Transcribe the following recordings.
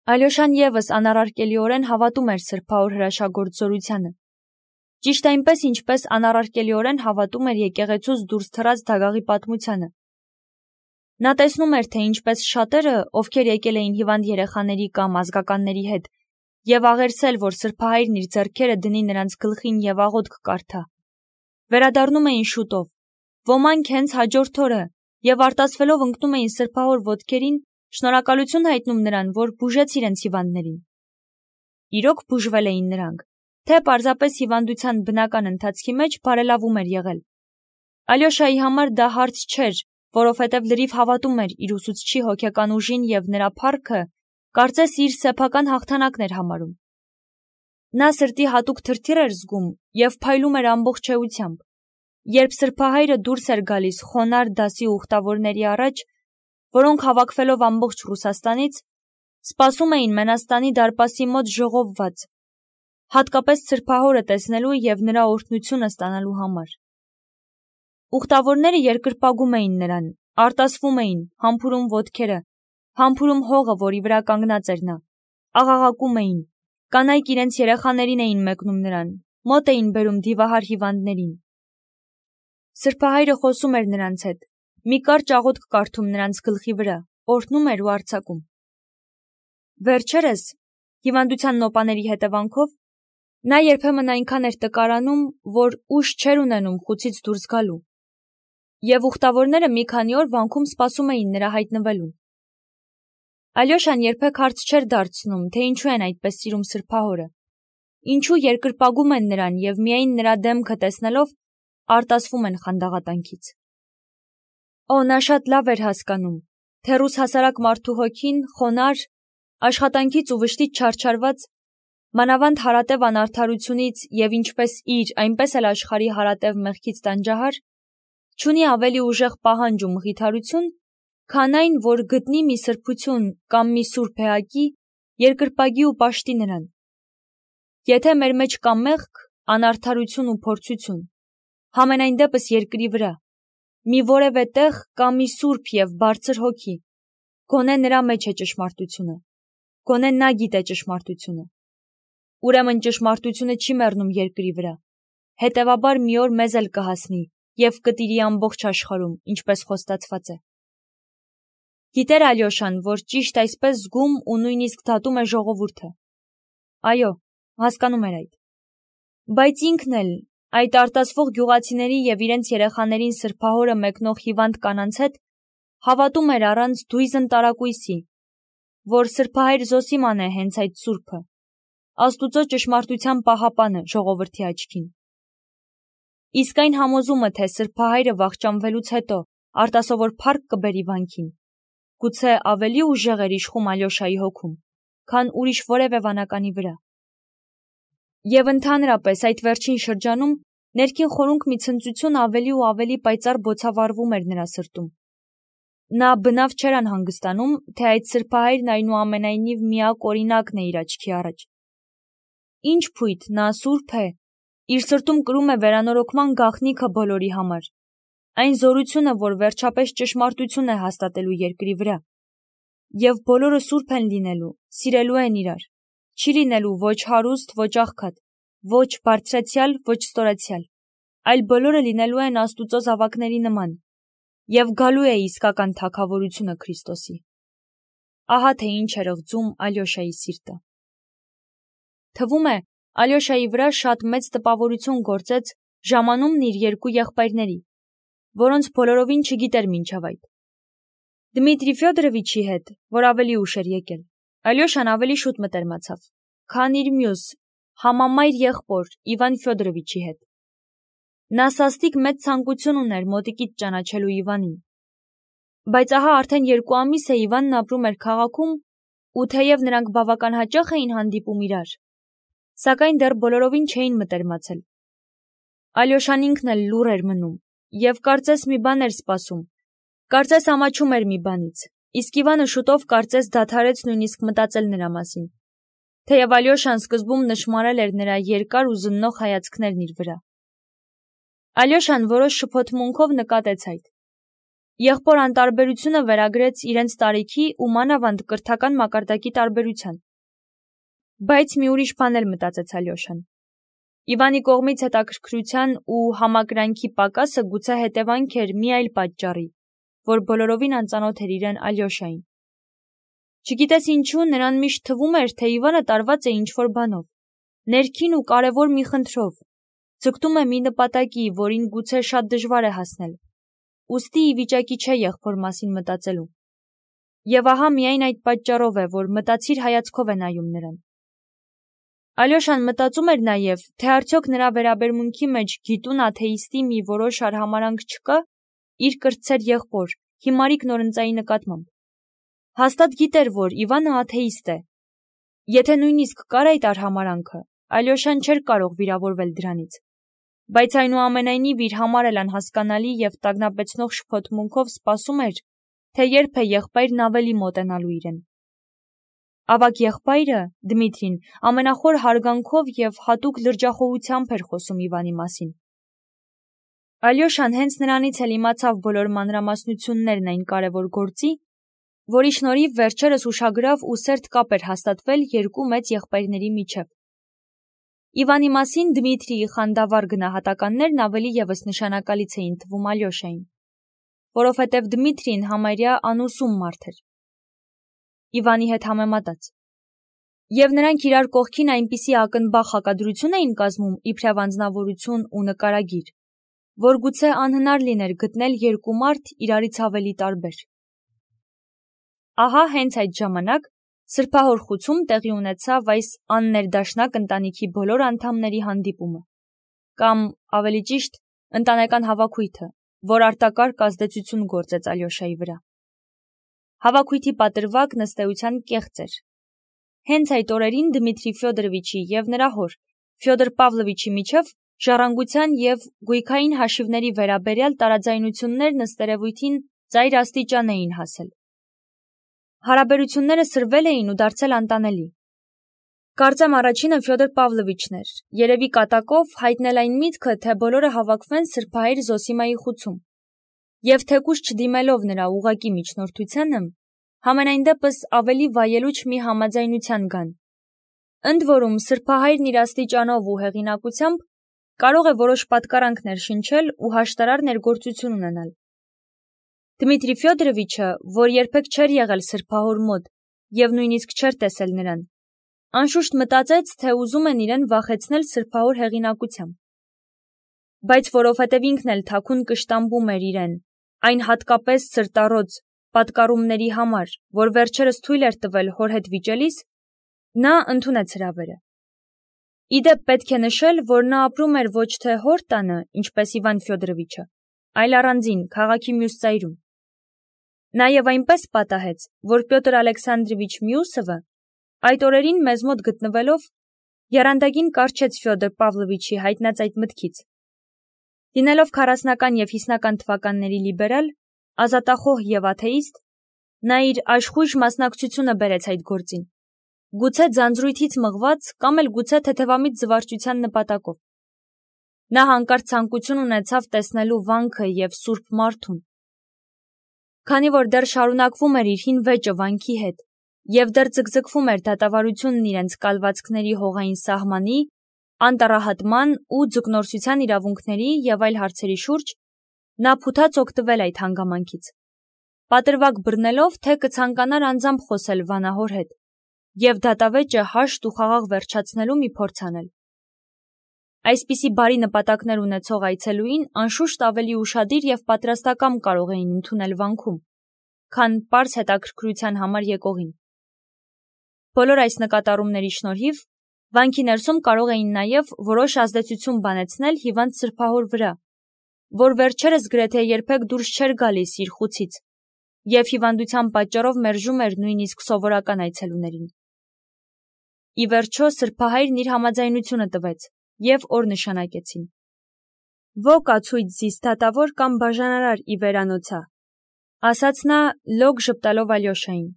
Ալյոշան ևս անառարկելիորեն հավատում էր սրբահոր հրաշագործ զորությանը։ Ճիշտ այնպես, ինչպես անառարկելիորեն հավատում էր եկեղեցուց դուրս թռած դագաղի պատմությանը։ Նա տեսնում էր, թե ինչպես շատերը, ովքեր եկել էին հիվանդ երեխաների կամ ազգականների հետ, եւ աղերսել, որ սրբահայրն իր ձեռքերը դնի նրանց գլխին եւ աղոթք կարդա, վերադառնում էին շուտով, ոմանք հենց հաջորդ օրը, եւ արտասվելով ընկնում էին սրբահոր ոտքերին, շնորհակալություն հայտնում նրան, որ բուժեց իրենց հիվանդներին։ Իրոք բուժվել էին նրանք, թե պարզապես հիվանդության բնական ընթացքի մեջ բարելավում էր եղել։ Ալյոշայի համար դա հարց չէր, որովհետև լրիվ հավատում էր իր ուսուցչի հոգեկան ուժին եւ նրա փառքը կարծես իր սեփական հաղթանակն էր համարում։ Նա սրտի հատուկ թրթիռ էր զգում եւ փայլում էր ամբողջ էությամբ, երբ սրբահայրը դուրս էր գալիս խոնարհ դասի ուխտավորների առաջ, որոնք հավաքվելով ամբողջ Ռուսաստանից, սպասում էին Մենաստանի դարպասի մոտ ժողովված, հատկապես սրբահորը տեսնելու եւ նրա օրհնությունը ստանալու համար։ Ուխտավորները երկրպագում էին նրան, արտասվում էին, համբուրում ոտքերը, համբուրում հողը, որի վրա կանգնած էր նա, աղաղակում էին, կանայք իրենց երեխաներին էին մեկնում նրան, մոտ էին բերում դիվահար հիվանդներին։ Սրբահայրը խոսում էր նրանց հետ, մի կարճ աղոթք կարդում նրանց գլխի վրա, օրհնում էր ու արձակում։ Վերջերս, հիվանդության նոպաների հետևանքով, նա երբեմն այնքան էր տկարանում, որ ուժ չէր ունենում խուցից դուրս գալու, եւ ուխտավորները մի քանի օր վանքում սպասում էին նրա հայտնվելուն։ Ալյոշան երբեք հարց չէր դարձնում, թե ինչու են այդպես սիրում սրբահորը, ինչու երկրպագում են նրան եւ միայն նրա դեմքը տեսնելով արտասվում են խանդաղատանքից։ Նա շատ լավ էր հասկանում, թե ռուս հասարակ մարդու հոգին խոնարհ, աշխատանքից ու վշտից չարչարված, մանավանդ հարատև անարդարությունից եւ ինչպես իր, այնպես էլ աշխարհի հարատև մեղքից տանջահար, չունի ավելի ուժեղ պահանջ ու մխիթարություն, քան այն, որ գտնի մի սրբություն կամ մի սուրբ էակի, երկրպագի ու պաշտի նրան։ Եթե մեր մեջ կա մեղք, անարդարություն ու փորձություն, համենայն դեպս երկրի վրա, մի որևէ տեղ կա մի սուրբ եւ բարձր հոգի, գոնե նրա մեջ է ճշմարտությունը, գոնե նա գիտե ճշմարտությունը։ Ուրեմն ճշմարտությունը չի մեռնում երկրի վրա, հետևաբար մի օր մեզ էլ կհասնի եւ կտիրի ամբողջ աշխարհում, ինչպես խոստացված է։ Գիտեր Ալյոշան, որ ճիշտ այսպես զգում ու նույնիսկ դատում է ժողովուրդը։ Այո, հասկանում էր այդ։ Բայց ինքն էլ, այդ արտասվող գյուղացիների եւ իրենց երեխաներին սրբահորը մեկնող հիվանդ կանանց հետ հավատում էր առանց դույզն տարակույսի, որ սրբահայր Զոսիման է հենց այդ սուրբը, Աստուծո ճշմարտության պահապանը ժողովրդի աչքին։ Իսկ այն համոզումը, թե սրբահայրը վախճանվելուց հետո արտասովոր փառք կբերի վանքին, գուցե ավելի ուժեղ էր իշխում Ալյոշայի հոգում, քան ուրիշ որևէ վանականի վրա։ Եվ ընդհանրապես այդ վերջին շրջանում ներքին խորունկ մի ցնծություն ավելի ու ավելի պայծառ բոցավառվում էր նրա սրտում։ Նա բնավ չէր անհանգստանում, թե այդ սրբահայրն այնուամենայնիվ միակ օրինակն է իր աչքի առաջ։ Ինչ փույթ, նա սուրբ է, իր սրտում կրում է վերանորոգման գաղտնիքը բոլորի համար, այն զորությունը, որ վերջապես ճշմարտություն է հաստատելու երկրի վրա։ Եվ բոլորը սուրբ են լինելու, սիրելու են իրար, չի լինելու ոչ հարուստ, ոչ աղքատ, ոչ բարձրացյալ, ոչ ստորացյալ, այլ բոլորը լինելու են Աստուծո զավակների նման, եւ գալու է իսկական թագավորությունը Քրիստոսի։ Ահա թե ինչ էր ըղձում Ալյոշայի սիրտը։ Թվում է, Ալյոշայի վրա շատ մեծ տպավորություն գործեց ժամանումն իր երկու եղբայրների, որոնց բոլորովին չգիտեր մինչև այդ։ Դմիտրի Ֆյոդորովիչի հետ, որ ավելի ուշ էր եկել, Ալյոշան ավելի շուտ մտերմացավ, քան իր մյուս համամայր եղբոր Իվան Ֆյոդորովիչի հետ։ Նա սաստիկ մեծ ցանկություն ուներ մոտիկից ճանաչելու Իվանին։ Բայց ահա արդեն 2 ամիս է Իվանն ապրում էր քաղաքում, ու թեև նրանք բավական հաճախ էին հանդիպում իրար, սակայն դեռ բոլորովին չէին մտերմացել։ Ալյոշան ինքն էլ լուռ էր մնում եւ կարծես մի բան էր սպասում, կարծես ամաչում էր մի բանից, իսկ Իվանը շուտով կարծես դադարեց նույնիսկ մտածել նրա մասին, թեև Ալյոշան սկզբում նշմարել էր նրա երկար ու զննող հայացքներն իր վրա։ Ալյոշան որոշ շփոթմունքով նկատեց այդ։ Եղբոր անտարբերությունը վերագրեց իրենց տարիքի ու մանավանդ կրթական մակարդակի տարբերության։ Բայց մի ուրիշ բան էլ մտածեց Ալյոշան։ Իվանի կողմից հետաքրքրության ու համակրանքի պակասը գուցե հետևանք էր մի այլ պատճառի, որ բոլորովին անծանոթ էր իրեն Ալյոշային։ Չգիտես ինչու նրան միշտ թվում էր, թե Իվանը տարված է ինչ-որ բանով, ներքին ու կարևոր մի խնդրով, ձգտում է մի նպատակի, որին գուցե շատ դժվար է հասնել, ուստի ի վիճակի չէ եղբոր մասին մտածելու։ Եվ ահա միայն այդ պատճառով է, որ մտածիր հայացքով է նայում նրան։ Ալյոշան մտածում էր նաև, թե արդյոք նրա վերաբերմունքի մեջ գիտուն աթեիստի մի որոշ արհամարանք չկա իր կրտսեր եղբոր, Հիմարիկ Նորընծայի նկատմամբ։ Հաստատ գիտեր, որ Իվանը աթեիստ է։ Եթե նույնիսկ կար այդ արհամարանքը, Ալյոշան չէր կարող վիրավորվել դրանից։ Բայց այնուամենայնիվ իր համար էլ անհասկանալի և տագնապեցնող շփոթմունքով սպասում էր, թե երբ է եղբայրն ավելի մոտենալու իրեն։ Ավագ եղբայրը, Դմիտրին, ամենախոր հարգանքով և հատուկ լրջախոհությամբ էր խոսում Իվանի մասին։ Ալյոշան հենց նրանից էլ իմացավ բոլոր մանրամասնություններն այն կարևոր գործի, որի շնորհիվ վերջերս ուշագրավ ու սերտ կապ էր հաստատվել երկու մեծ եղբայրների միջև։ Իվանի մասին Դմիտրիի խանդավառ գնահատականներն ավելի ևս նշանակալից էին թվում Ալյոշային, որովհետև Դմիտրին համարյա անուսում մարդ էր։ Իվանի հետ համեմատած։ Եվ նրանք իրար կողքին այնպիսի ակնբախ հակադրություն էին կազմում իբրև անձնավորություն ու նկարագիր, որ գուցե անհնար լիներ գտնել երկու մարդ իրարից ավելի տարբեր։ Ահա հենց այդ ժամանակ սրբահոր խուցում տեղի ունեցավ այս աններդաշնակ ընտանիքի բոլոր անդամների հանդիպումը, կամ ավելի ճիշտ, ընտանեկան հավաքույթը, որ արտակարգ ազդեցություն գործեց Ալյոշայի վրա։ Հավաքույթի պատրվակն ըստ էության կեղծ էր։ Հենց այդ օրերին Դմիտրի Ֆյոդորովիչի և նրա հոր Ֆյոդոր Պավլովիչի միջև ժառանգության և գույքային հաշիվների վերաբերյալ տարաձայնություններն ըստ երևույթին ծայր աստիճան էին հասել։ Հարաբերությունները սրվել էին ու դարձել անտանելի։ Կարծեմ առաջինը Ֆյոդոր Պավլովիչն էր, երևի կատակով հայտնել այն միտքը, թե բոլորը հավաքվեն սրբահայր Զոսիմայի խուցում, և թեկուզ չդիմելով նրա ուղղակի միջնորդությանը, համենայն դեպս ավելի վայելուչ մի համաձայնության գան։ Ընդ որում սրբահայրն իր աստիճանով ու հեղինակությամբ կարող է որոշ պատկարանքներ շնչել ու հաշտարար ներգործություն ունենալ։ Դմիտրի Ֆյոդորովիչը, որ երբեք չէր եղել սրբահոր մոտ և նույնիսկ չէր տեսել նրան, անշուշտ մտածեց, թե ուզում են իրեն վախեցնել սրբահոր հեղինակությամբ։ Բայց որովհետև ինքն էլ թաքուն կշտամբում էր իրեն, այն հատկապես սրտառոծ պատկառումների համար, որ վերջերս թույլ էր տվել հոր հետ վիճելիս, նա ընդունեց հրավերը։ Իդեպ պետք է նշել, որ նա ապրում էր ոչ թե հոր տանը, ինչպես Իվան Ֆյոդորովիչը, այլ առանձին, քաղաքի մյուս ծայրում։ Նաև այնպես պատահեց, որ Պյոտր Ալեքսանդրովիչ Մյուսովը այդ օրերին մեզ մոտ գտնվելով եռանդագին կառչեց Ֆյոդոր Պավլովիչի հայտնած այդ մտքից։ Լինելով 40-ական և 50-ական թվականների լիբերալ, ազատախոհ և աթեիստ, նա իր աշխույժ մասնակցությունը բերեց այդ գործին, գուցե ձանձրույթից մղված կամ էլ գուցե թեթևամիտ զվարճության նպատակով։ Նա հանկարծ ցանկություն ունեցավ տեսնելու վանքը և սուրբ մարդուն։ Քանի որ դեռ շարունակվում էր իր հին վեճը վանքի հետ և դեռ ձգձգվում էր դատավարությունն իրենց կալվածքների հողային սահմանի, անտառահատման ու ձկնորսության իրավունքների և այլ հարցերի շուրջ, նա փութաց օգտվել այդ հանգամանքից, պատրվակ բռնելով, թե կցանկանար անձամբ խոսել վանահոր հետ և դատավեճը հաշտ ու խաղաղ վերջացնելու մի փորձ անել։ Այսպիսի բարի նպատակներ ունեցող այցելուին անշուշտ ավելի ուշադիր և պատրաստակամ կարող էին ընդունել վանքում, քան պարզ հետաքրքրության համար եկողին։ Բոլոր այս նկատառումների շնորհիվ վանքի ներսում կարող էին նաև որոշ ազդեցություն բանեցնել հիվանդ սրբահոր վրա, որ վերջերս գրեթե երբեք դուրս չէր գալիս իր խուցից և հիվանդության պատճառով մերժում էր նույնիսկ սովորական այցելուներին։ Ի վերջո սրբահայրն իր համաձայնությունը տվեց և օր նշանակեցին։ «Ո կացույց զիս դատավոր կամ բաժանարար ի վերանոցա», ասաց նա լոգ ժպտալով Ալյոշային։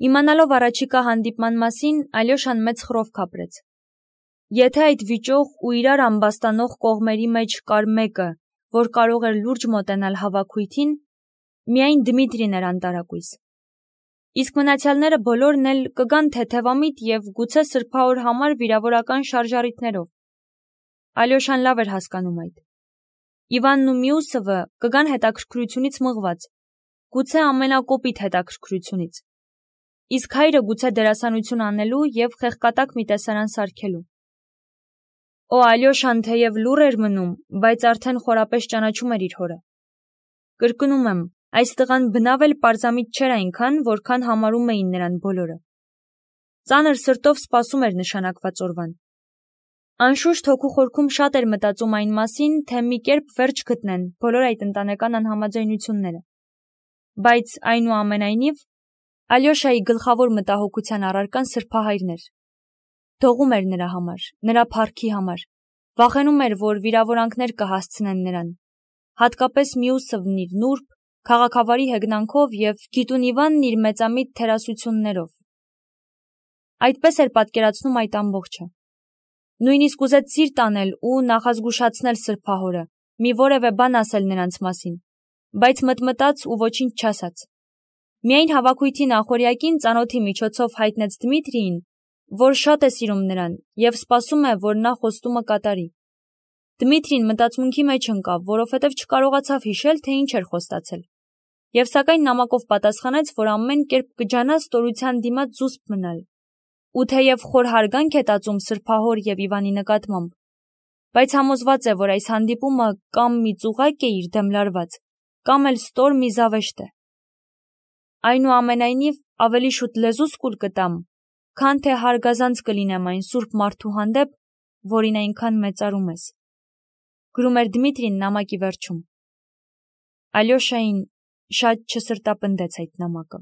Իմանալով առաջիկա հանդիպման մասին, Ալյոշան մեծ խռովք ապրեց։ Եթե այդ վիճող ու իրար ամբաստանող կողմերի մեջ կար մեկը, որ կարող էր լուրջ մոտենալ հավաքույթին, Միայն Դմիտրին էր անտարակույս։ Իսկ մնացյալները բոլորն էլ կգան թեթևամիտ և գուցե սրբահոր համար վիրավորական շարժառիթներով։ Ալյոշան լավ էր հասկանում այդ։ Իվանն ու Միուսովը կգան հետաքրքրությունից մղված, գուցե ամենակոպիտ հետաքրքրությունից։ Իսկ հայրը գուցե դերասանություն անելու և խեղկատակ մի տեսարան սարքելու։ Ալյոշան թեև լուռ էր մնում, բայց արդեն խորապես ճանաչում էր իր հորը։ Կրկնում եմ, այս տղան բնավ էլ պարզամիտ չէր այնքան, որքան համարում էին նրան բոլորը։ Ծանր սրտով սպասում էր նշանակված օրվան։ Անշուշտ հոգու խորքում շատ էր մտածում այն մասին, թե մի կերպ վերջ գտնեն բոլոր այդ ընտանեկան անհամաձայնությունները։ Բայց այնուամենայնիվ, Ալյոշայի գլխավոր մտահոգության առարկան սրբահայրն էր։ Դողում էր նրա համար, նրա փառքի համար, վախենում էր, որ վիրավորանքներ կհասցնեն նրան, հատկապես Միուսովն իր նուրբ, քաղաքավարի հեգնանքով և Գիտուն Իվանն իր մեծամիտ թերասություններով։ Այդպես էր պատկերացնում այդ ամբողջը։ Նույնիսկ ուզեց սիրտ անել ու նախազգուշացնել սրբահորը, մի որևէ բան ասել նրանց մասին, բայց մտմտաց ու ոչինչ չասաց։ Միայն հավաքույթի նախօրյակին ծանոթի միջոցով հայտնեց Դմիտրիին, որ շատ է սիրում նրան և սպասում է, որ նա խոստումը կատարի։ Դմիտրին մտածմունքի մեջ ընկավ, որովհետև չկարողացավ հիշել, թե ինչ էր խոստացել։ Եվ սակայն նամակով պատասխանեց, որ ամեն կերպ կջանա ստորության դիմաց զուսպ մնալ։ Ու թեև խոր հարգանք է տածում սրբահոր և Իվանի նկատմամբ, բայց համոզված է, որ այս հանդիպումը կամ մի ծուղակ է իր դեմ լարված, կամ էլ ստոր մի զավեշտ է։ Այնուամենայնիվ, ավելի շուտ լեզուս կուլ կտամ, քան թե հարգազանց կլինեմ այն սուրբ մարդու հանդեպ, որին այնքան մեծարում ես, գրում էր Դմիտրին նամակի վերջում։ Ալյոշային շատ չսրտապնդեց այդ նամակը։